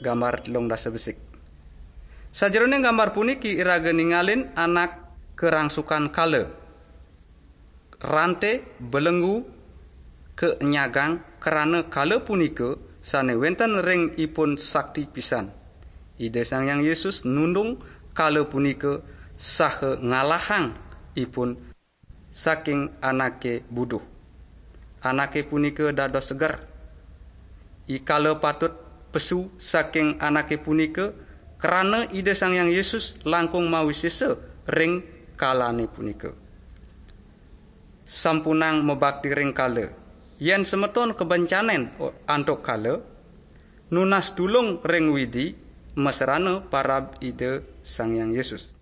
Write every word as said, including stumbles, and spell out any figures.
Gambar telung dasa besik. Sajeroning gambar puniki iraga ningalin anak karangsukan kala, rante, belenggu, kanyagang, krana kala punika sane wenten ring ipun sakti pisan. Ida Sang Hyang Yesus nundung kala punika saha ngalahang ipun saking anake buduh. Anake punika dados seger. I kala patut pesu saking anake punika, krana Ida Sang Hyang Yesus langkung mawisesa ring kalane punika. Sampunang mabakti ring kala. Yen semeton kabencanen antuk kala, nunas tulung ring Widi, masrana parab Ida Sang Hyang Yesus.